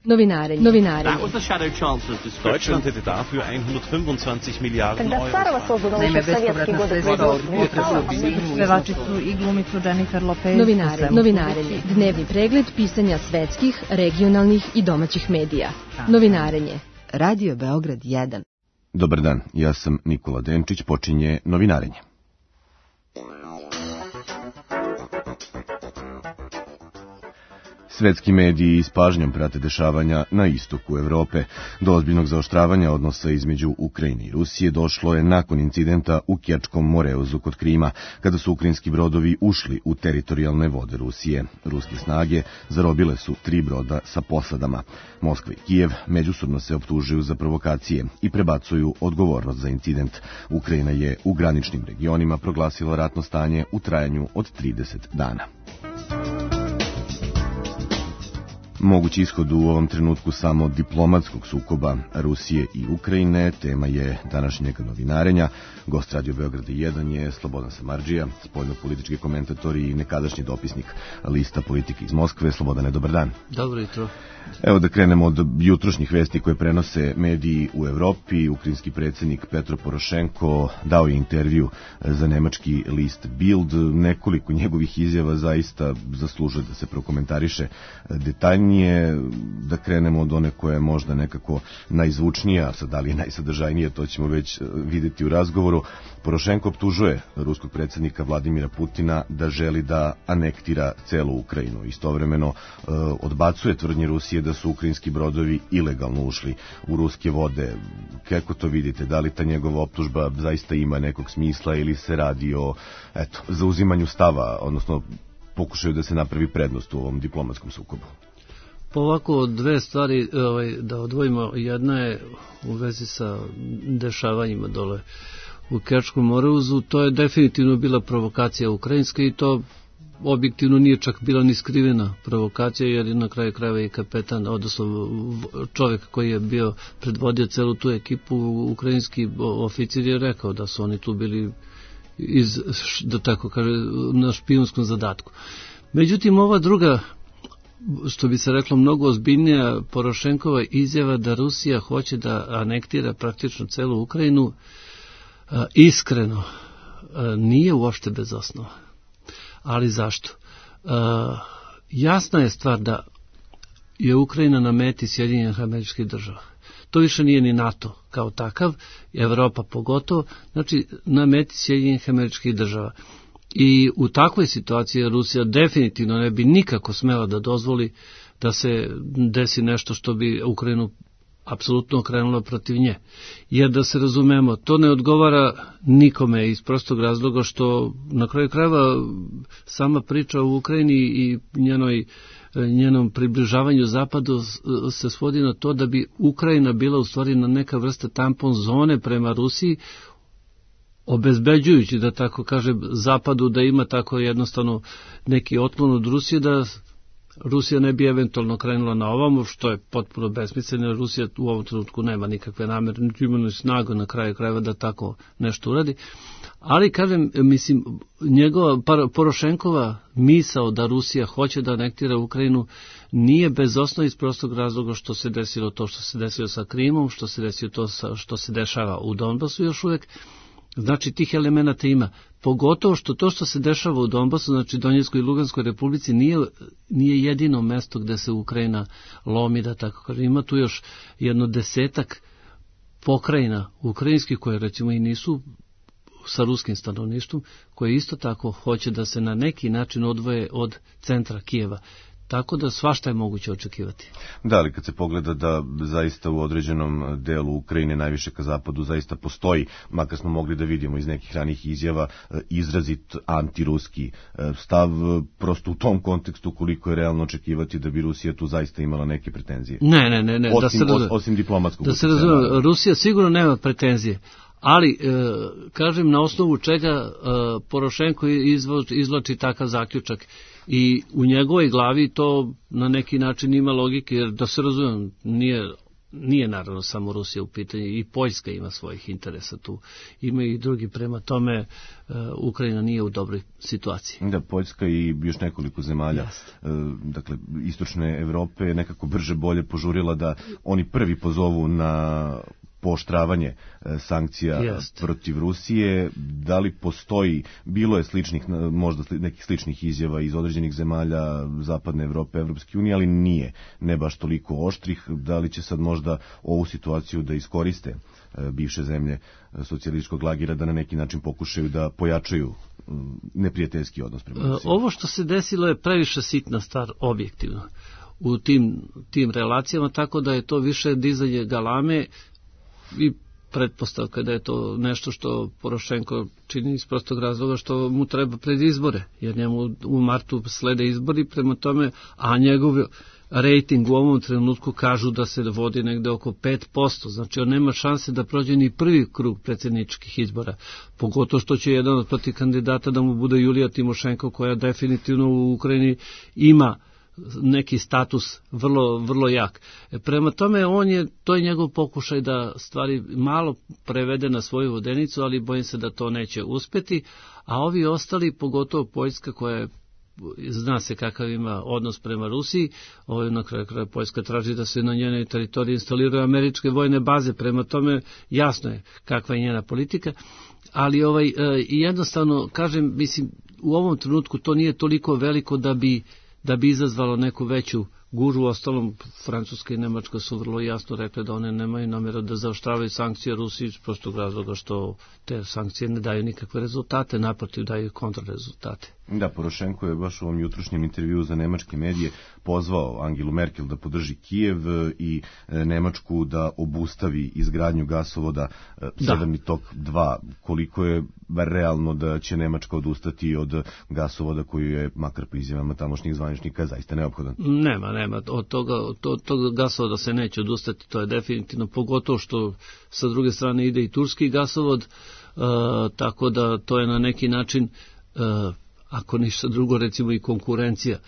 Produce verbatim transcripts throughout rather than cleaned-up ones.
Novinarenje. Novinarenje. Deutschland hätte dafür hundertfünfundzwanzig Milliarden Euro. Naime, bespovratna sredstva od pevačicu i glumicu Jennifer Lopez. Novinarenje. Novinarenje. Dnevni pregled pisanja svetskih, regionalnih i domaćih medija. Novinarenje. Radio Beograd jedan. Dobar dan, ja sam Nikola Denčić, počinje Novinarenje. Svetski mediji s pažnjom prate dešavanja na istoku Evrope. Do ozbiljnog zaoštravanja odnosa između Ukrajine i Rusije došlo je nakon incidenta u Kerčkom moreuzu kod Krima, kada su ukrajinski brodovi ušli u teritorijalne vode Rusije. Ruske snage zarobile su tri broda sa posadama. Moskva i Kijev međusobno se optužuju za provokacije i prebacuju odgovornost za incident. Ukrajina je u graničnim regionima proglasila ratno stanje u trajanju od trideset dana. Mogući ishod u ovom trenutku samo diplomatskog sukoba Rusije i Ukrajine tema je današnjeg novinarenja. Gost Radio Beograd jedan je Slobodan Samardžija, spoljno-politički komentator i nekadašnji dopisnik lista Politike iz Moskve. Slobodane, dobar dan. Dobro jutro. Evo da krenemo od jutrošnjih vesti koje prenose mediji u Evropi. Ukrajinski predsjednik Petro Porošenko dao je intervju za nemački list Bild. Nekoliko njegovih izjava zaista zaslužuje da se prokomentariše detaljnije. Da krenemo od one koja je možda nekako najzvučnija, sad da li je najsadržajnije, to ćemo već vidjeti u razgovoru. Porošenko optužuje ruskog predsjednika Vladimira Putina da želi da anektira celu Ukrajinu. Istovremeno e, odbacuje tvrdnje Rusije da su ukrajinski brodovi ilegalno ušli u ruske vode. Kako to vidite? Da li ta njegova optužba zaista ima nekog smisla ili se radi o eto, zauzimanju stava, odnosno pokušaju da se napravi prednost u ovom diplomatskom sukobu? Pa ovako, dve stvari ovaj, da odvojimo. Jedna je u vezi sa dešavanjima dole u Kerčkom moreuzu. To je definitivno bila provokacija ukrajinska i to objektivno nije čak bila ni skrivena provokacija, jer je na kraju krajeva i kapetan, odnosno čovjek koji je bio predvodio celu tu ekipu, ukrajinski oficir je rekao da su oni tu bili iz, da tako kaže, na špijunskom zadatku. Međutim, ova druga, što bi se reklo, mnogo ozbiljnija Porošenkova izjava da Rusija hoće da anektira praktično celu Ukrajinu, iskreno, nije uopšte bez osnova. Ali zašto? Jasna je stvar da je Ukrajina na meti Sjedinjenih Američkih Država. To više nije ni NATO kao takav, Evropa pogotovo, znači na meti Sjedinjenih Američkih Država. I u takvoj situaciji Rusija definitivno ne bi nikako smela da dozvoli da se desi nešto što bi Ukrajinu apsolutno okrenulo protiv nje. Jer da se razumemo, to ne odgovara nikome iz prostog razloga što na kraju krajeva sama priča o Ukrajini i njenoj, njenom približavanju zapadu se svodi na to da bi Ukrajina bila u stvari na neka vrsta tampon zone prema Rusiji, obezbeđujući, da tako kažem, zapadu da ima tako jednostavno neki otklon od Rusije, da Rusija ne bi eventualno krenula na ovamo, što je potpuno besmisleno. Rusija u ovom trenutku nema nikakve namere, niti ima snagu na kraju krajeva da tako nešto uradi. Ali, kažem, mislim, njegova Porošenkova misao da Rusija hoće da anektira Ukrajinu nije bez osnova iz prostog razloga što se desilo to što se desilo sa Krimom, što se desilo to što se dešava u Donbasu još uvijek. Znači, tih elemenata ima. Pogotovo što to što se dešava u Donbasu, znači Donjeckoj i Luganskoj republici, nije, nije jedino mesto gde se Ukrajina lomi, da tako kažem. Ima tu još jedno desetak pokrajina ukrajinskih koje recimo i nisu sa ruskim stanovništvom, koje isto tako hoće da se na neki način odvoje od centra Kijeva. Tako da svašta je moguće očekivati. Da, ali kad se pogleda da zaista u određenom delu Ukrajine, najviše ka zapadu, zaista postoji, makar smo mogli da vidimo iz nekih ranih izjava, izrazit antiruski stav, prosto u tom kontekstu koliko je realno očekivati da bi Rusija tu zaista imala neke pretenzije. Ne, ne, ne. ne. Osim, da se razume, osim diplomatskog. Da se razume, Rusija sigurno nema pretenzije. Ali, e, kažem, na osnovu čega e, Porošenko izvlači takav zaključak. I u njegovoj glavi to na neki način ima logike, jer da se razumijem, nije nije naravno samo Rusija u pitanju, i Poljska ima svojih interesa tu. Ima i drugi, prema tome uh, Ukrajina nije u dobroj situaciji. Da, Poljska i još nekoliko zemalja, uh, dakle, istočne Evrope nekako brže bolje požurila da oni prvi pozovu na pooštravanje sankcija Jest. protiv Rusije. Da li postoji, bilo je sličnih, možda nekih sličnih izjava iz određenih zemalja Zapadne Evrope, Evropske unije, ali nije, ne baš toliko oštrih. Da li će sad možda ovu situaciju da iskoriste bivše zemlje socijalističkog lagira da na neki način pokušaju da pojačaju neprijateljski odnos prema Rusiji? Ovo što se desilo je previše sitna stvar objektivno u tim, tim relacijama, tako da je to više dizanje galame i pretpostavka da je to nešto što Porošenko čini iz prostog razloga što mu treba pred izbore, jer njemu u martu slede izbori, prema tome, a njegov rejting u ovom trenutku kažu da se vodi negde oko pet posto, znači on nema šanse da prođe ni prvi krug predsjedničkih izbora, pogotovo što će jedan od protiv kandidata da mu bude Julija Timošenko, koja definitivno u Ukrajini ima neki status vrlo, vrlo jak. Prema tome, on je, to je njegov pokušaj da stvari malo prevede na svoju vodenicu, ali bojim se da to neće uspeti, a ovi ostali, pogotovo Poljska, koja je, zna se kakav ima odnos prema Rusiji, ovo na kraju kraja Poljska traži da se na njenoj teritoriji instaliraju američke vojne baze, prema tome jasno je kakva je njena politika, ali ovaj, jednostavno, kažem, mislim, u ovom trenutku to nije toliko veliko da bi da bi izazvalo neku veću gužu. U ostalom, Francuska i Nemačka su vrlo jasno rekli da one nemaju namjeru da zaoštravaju sankcije Rusiji iz prostog razloga što te sankcije ne daju nikakve rezultate, naprotiv daju kontrarezultate. Da, Porošenko je baš u ovom jutrošnjem intervju za nemačke medije pozvao Angelu Merkel da podrži Kijev i Nemačku da obustavi izgradnju gasovoda Severni tok dva. Koliko je realno da će Nemačka odustati od gasovoda koji je, makar po izjavama tamošnjih zvaničnika, zaista neophodan? Nema, nema. Od toga, od toga gasovoda se neće odustati, to je definitivno, pogotovo što sa druge strane ide i turski gasovod, uh, tako da to je na neki način uh, ako ništa drugo, recimo i konkurencija.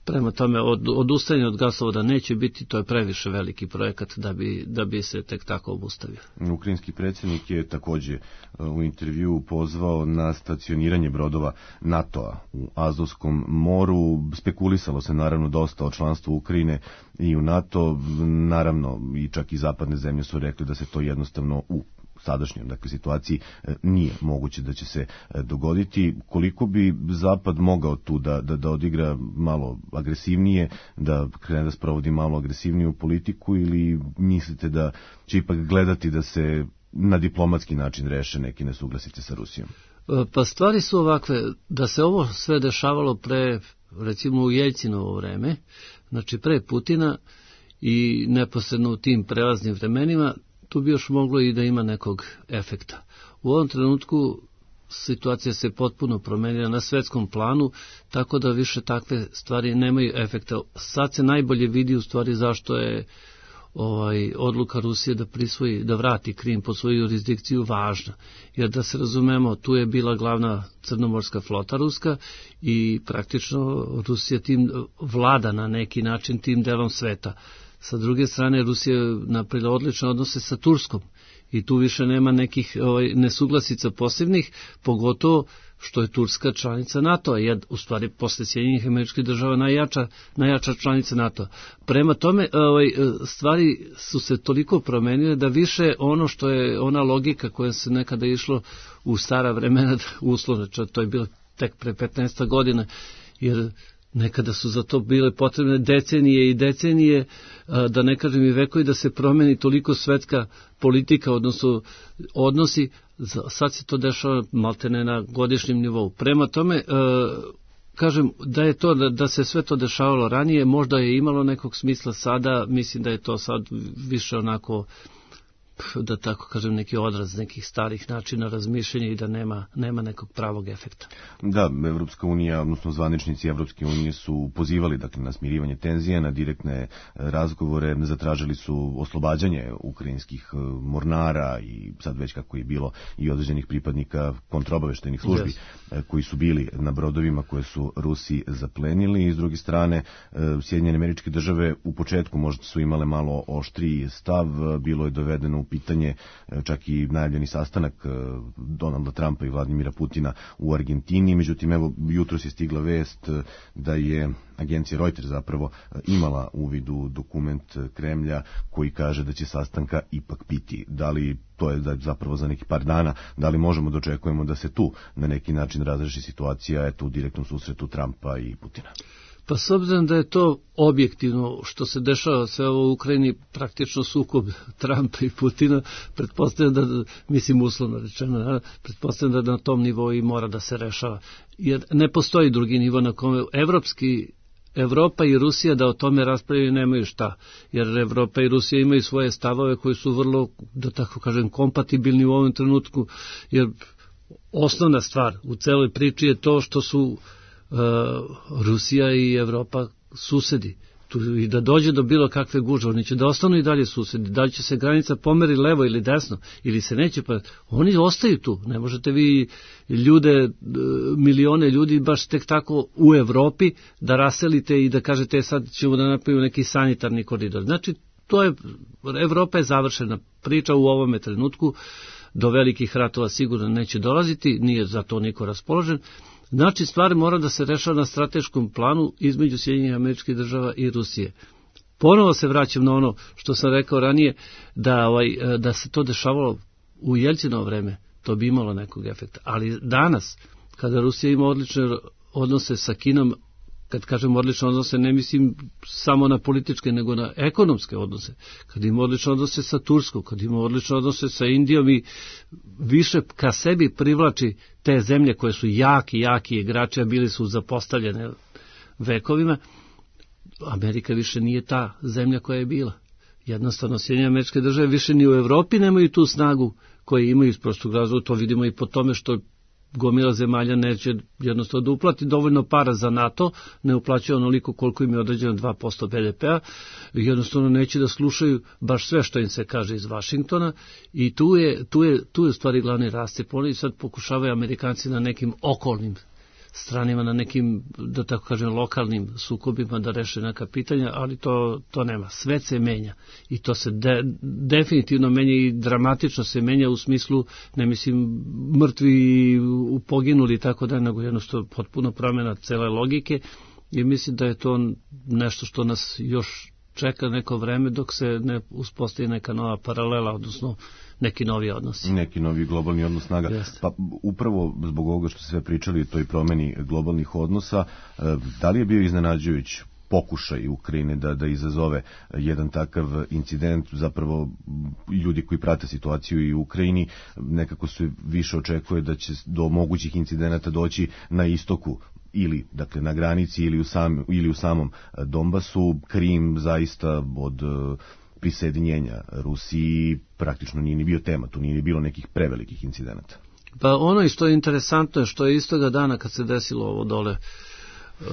Prema tome, od, odustajanje od gasovoda neće biti, to je previše veliki projekat da bi, da bi se tek tako obustavio. Ukrajinski predsjednik je također u intervjuu pozvao na stacioniranje brodova NATO-a u Azovskom moru. Spekulisalo se naravno dosta o članstvu Ukrajine i u NATO. Naravno, i čak i zapadne zemlje su rekli da se to jednostavno u sadašnjoj dakle, situaciji nije moguće da će se dogoditi. Koliko bi Zapad mogao tu da, da, da odigra malo agresivnije, da krene da sprovodi malo agresivniju politiku, ili mislite da će ipak gledati da se na diplomatski način reše neki nesuglasice sa Rusijom? Pa stvari su ovakve, da se ovo sve dešavalo pre, recimo u Jeljcinovo vreme, znači pre Putina i neposredno u tim prelaznim vremenima, tu bi još moglo i da ima nekog efekta. U ovom trenutku situacija se potpuno promenila na svetskom planu, tako da više takve stvari nemaju efekta. Sad se najbolje vidi u stvari zašto je ovaj, odluka Rusije da prisvoji, da vrati Krim pod svoju jurisdikciju važna. Jer da se razumemo, tu je bila glavna crnomorska flota ruska i praktično Rusija tim vlada na neki način tim delom sveta. Sa druge strane, Rusija je napravila odlične odnose sa Turskom i tu više nema nekih ovaj, nesuglasica posebnih, pogotovo što je Turska članica NATO-a, jed, u stvari posle Sjedinjenih Američkih Država najjača, najjača članica NATO-a. Prema tome, ovaj, stvari su se toliko promenile da više ono što je ona logika koja se nekada išlo u stara vremena, uslovno, to je bilo tek pre petnaest godina, jer nekada su za to bile potrebne decenije i decenije, da ne kažem i vekovi, da se promeni toliko svetska politika, odnosno odnosi, sad se to dešava maltene na godišnjem nivou. Prema tome, kažem, da je to, da se sve to dešavalo ranije, možda je imalo nekog smisla, sada mislim da je to sad više onako da tako kažem, neki odraz nekih starih načina razmišljanja i da nema, nema nekog pravog efekta. Da, Evropska unija, odnosno zvaničnici Evropske unije su pozivali dakle, na smirivanje tenzija, na direktne razgovore, zatražili su oslobađanje ukrajinskih mornara i sad već kako je bilo i određenih pripadnika kontraobaveštajnih službi yes. koji su bili na brodovima koje su Rusi zaplenili i s druge strane Sjedinjene Američke Države u početku možda su imale malo oštriji stav, bilo je dovedeno u pitanje čak i najavljeni sastanak Donalda Trumpa i Vladimira Putina u Argentini, međutim evo jutros je stigla vest da je agencija Reuters zapravo imala uvid u dokument Kremlja koji kaže da će sastanka ipak biti. Da li to je da zapravo za neki par dana, da li možemo da očekujemo da se tu na neki način razreši situacija eto u direktnom susretu Trumpa i Putina? Pa s obzirom da je to objektivno što se dešava sve ovo u Ukrajini, praktično sukob Trumpa i Putina, pretpostavljam da, mislim uslovno rečeno, pretpostavljam da na tom nivou i mora da se rešava. Jer ne postoji drugi nivo na kome evropski Evropa i Rusija da o tome raspravljaju nemaju šta, jer Evropa i Rusija imaju svoje stavove koji su vrlo, da tako kažem, kompatibilni u ovom trenutku, jer osnovna stvar u celoj priči je to što su Uh, Rusija i Evropa susedi. Tu, i da dođe do bilo kakve gužve, oni će da ostanu i dalje susedi. Da li će se granica pomeri levo ili desno, ili se neće, pa oni ostaju tu. Ne možete vi ljude, milione ljudi baš tek tako u Evropi da raselite i da kažete sad ćemo da napravimo neki sanitarni koridor. Znači, to je, Evropa je završena priča u ovome trenutku, do velikih ratova sigurno neće dolaziti, nije za to niko raspoložen. Znači, stvari mora da se rešava na strateškom planu između Sjedinjenih Američkih Država i Rusije. Ponovo se vraćam na ono što sam rekao ranije, da, ovaj, da se to dešavalo u Jeljcinovo vreme, to bi imalo nekog efekta. Ali danas, kada Rusija ima odlične odnose sa Kinom, kad kažem odlične odnose, ne mislim samo na političke, nego na ekonomske odnose. Kad ima odlične odnose sa Turskom, kad ima odlične odnose sa Indijom i više ka sebi privlači te zemlje koje su jaki, jaki igrači, a bili su zapostavljene vekovima, Amerika više nije ta zemlja koja je bila. Jednostavno, Sjedinjene Američke Države više ni u Evropi nemaju tu snagu koju imaju iz prostog razloga, to vidimo i po tome što gomila zemalja neće jednostavno da uplati dovoljno para za NATO, ne uplaćuje onoliko koliko im je određeno dva posto be de pea, jednostavno neće da slušaju baš sve što im se kaže iz Vašingtona i tu je, tu je, tu je u stvari glavni rascep. Oni sad pokušavaju Amerikanci na nekim okolnim stranima, na nekim, da tako kažem, lokalnim sukobima da reše neka pitanja, ali to, to nema. Svet se menja i to se de, definitivno menja i dramatično se menja u smislu, ne mislim mrtvi poginuli i tako da, nego jednostavno potpuno promjena cele logike i mislim da je to nešto što nas još čeka neko vreme dok se ne uspostavi neka nova paralela, odnosno neki novi odnosi. Neki novi globalni odnos snaga. Jeste. Pa upravo zbog ovoga što sve pričali, toj promeni globalnih odnosa, da li je bio iznenađujuć pokušaj Ukrajine da, da izazove jedan takav incident, zapravo ljudi koji prate situaciju i u Ukrajini nekako se više očekuje da će do mogućih incidenata doći na istoku ili dakle na granici ili u, sam, ili u samom Donbasu. Krim zaista od prisajedinjenja Rusiji praktično nije ni bio tema, tu nije ni bilo nekih prevelikih incidenata. Pa ono i što je interesantno je što je istoga dana kad se desilo ovo dole uh,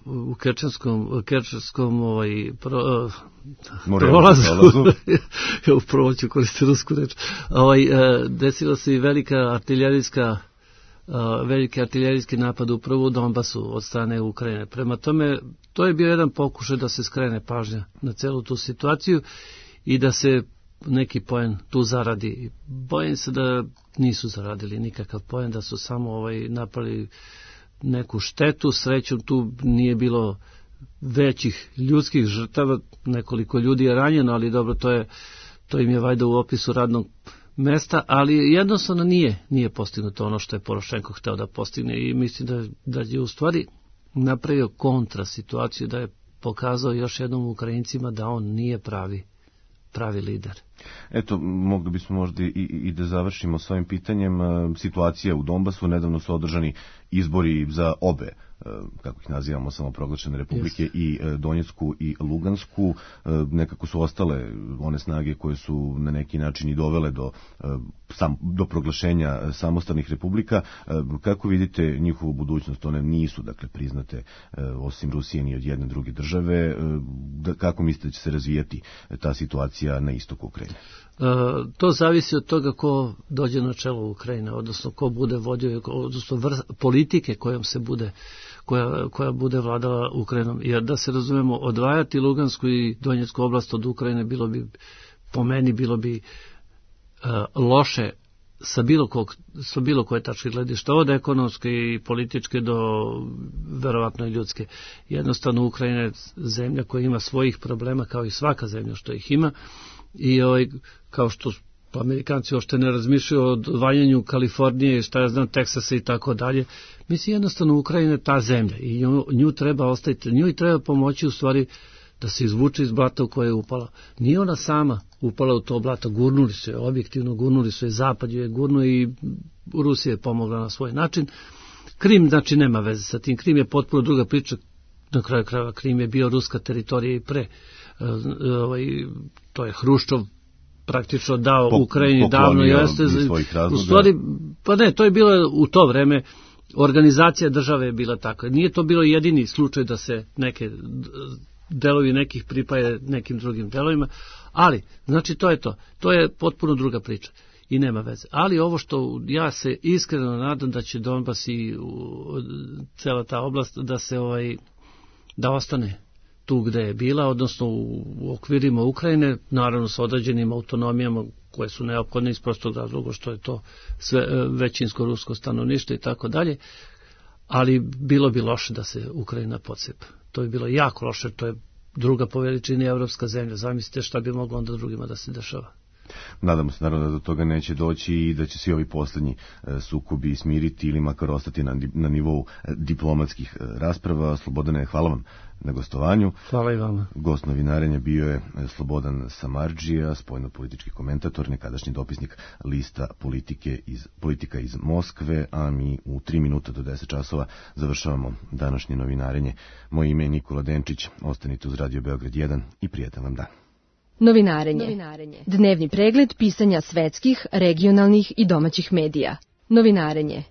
u Kerčanskom, Kerčanskom ovaj, pro, uh, prolazu, ja upravo ću koristiti rusku reč, ovaj, uh, desila se i velika artiljerijska Uh, veliki artiljerijski napad upravo u Donbasu od strane Ukrajine. Prema tome, to je bio jedan pokušaj da se skrene pažnja na celu tu situaciju i da se neki poen tu zaradi. Bojim se da nisu zaradili nikakav poen, da su samo ovaj napali neku štetu. Srećom tu nije bilo većih ljudskih žrtava, nekoliko ljudi je ranjeno, ali dobro, to je to im je vajda u opisu radnog mesta, ali jednostavno nije, nije postignuto ono što je Porošenko hteo da postigne i mislim da, da je u stvari napravio kontra situaciju, da je pokazao još jednom Ukrajincima da on nije pravi, pravi lider. Eto, mogli bismo možda i, i da završimo s ovim pitanjem. Situacija u Donbasu, nedavno su održani izbori za obe kako ih nazivamo, samoproglašene republike, yes. i Donjecku i Lugansku. Nekako su ostale one snage koje su na neki način i dovele do, sam, do proglašenja samostalnih republika. Kako vidite njihovu budućnost? One nisu, dakle, priznate osim Rusije ni od jedne druge države. Kako mislite da će se razvijati ta situacija na istoku Ukrajine? To zavisi od toga ko dođe na čelo Ukrajine, odnosno ko bude vodio, odnosno vrst, politike kojom se bude, koja, koja bude vladala Ukrajinom. Jer da se razumemo, odvajati Lugansku i Donjecku oblast od Ukrajine bilo bi, po meni, bilo bi uh, loše sa bilo, kog, sa bilo koje tačke gledišta, od ekonomske i političke do verovatno i ljudske. Jednostavno, Ukrajina je zemlja koja ima svojih problema, kao i svaka zemlja što ih ima, i ovaj, kao što Amerikanci uopšte ne razmišljaju o odvajanju Kalifornije, šta ja znam, Teksasa i tako dalje. Mislim, jednostavno, Ukrajina je ta zemlja i nju, nju treba ostaviti, nju i treba pomoći u stvari da se izvuče iz blata u koje je upala. Nije ona sama upala u to blato, gurnuli su je, objektivno gurnuli su je, Zapad ju je gurnuo i Rusija je pomogla na svoj način. Krim, znači, nema veze sa tim. Krim je potpuno druga priča. Na kraju krajeva, Krim je bio ruska teritorija i pre. Ovaj, to je Hruščov praktično dao po, Ukrajini davno. Jeste, u stvari, pa ne, to je bilo u to vreme, organizacija države je bila takva. Nije to bilo jedini slučaj da se neke delovi nekih pripaje nekim drugim delovima, ali, znači, to je to. To je potpuno druga priča i nema veze. Ali ovo što ja se iskreno nadam da će Donbas i cela ta oblast da se ovaj, da ostane tu gde je bila, odnosno u okvirima Ukrajine, naravno sa određenim autonomijama koje su neophodne iz prostog razloga što je to sve većinsko rusko stanovništvo i tako dalje, ali bilo bi loše da se Ukrajina podsepa. To je bilo jako loše, to je druga po veličini evropska zemlja. Zamislite šta bi moglo onda drugima da se dešava. Nadamo se naravno da do toga neće doći i da će svi ovi poslednji sukobi smiriti ili makar ostati na, na nivou diplomatskih rasprava. Slobodane, hvala vam na gostovanju. Hvala i vama. Gost novinarenja bio je Slobodan Samardžija, spoljno-politički komentator, nekadašnji dopisnik lista politike iz, politika iz Moskve, a mi u tri minuta do deset časova završavamo današnje novinarenje. Moje ime je Nikola Denčić, ostanite uz Radio Beograd jedan i prijatan vam dan. Novinarenje. Novinarenje. Dnevni pregled pisanja svetskih, regionalnih i domaćih medija. Novinarenje.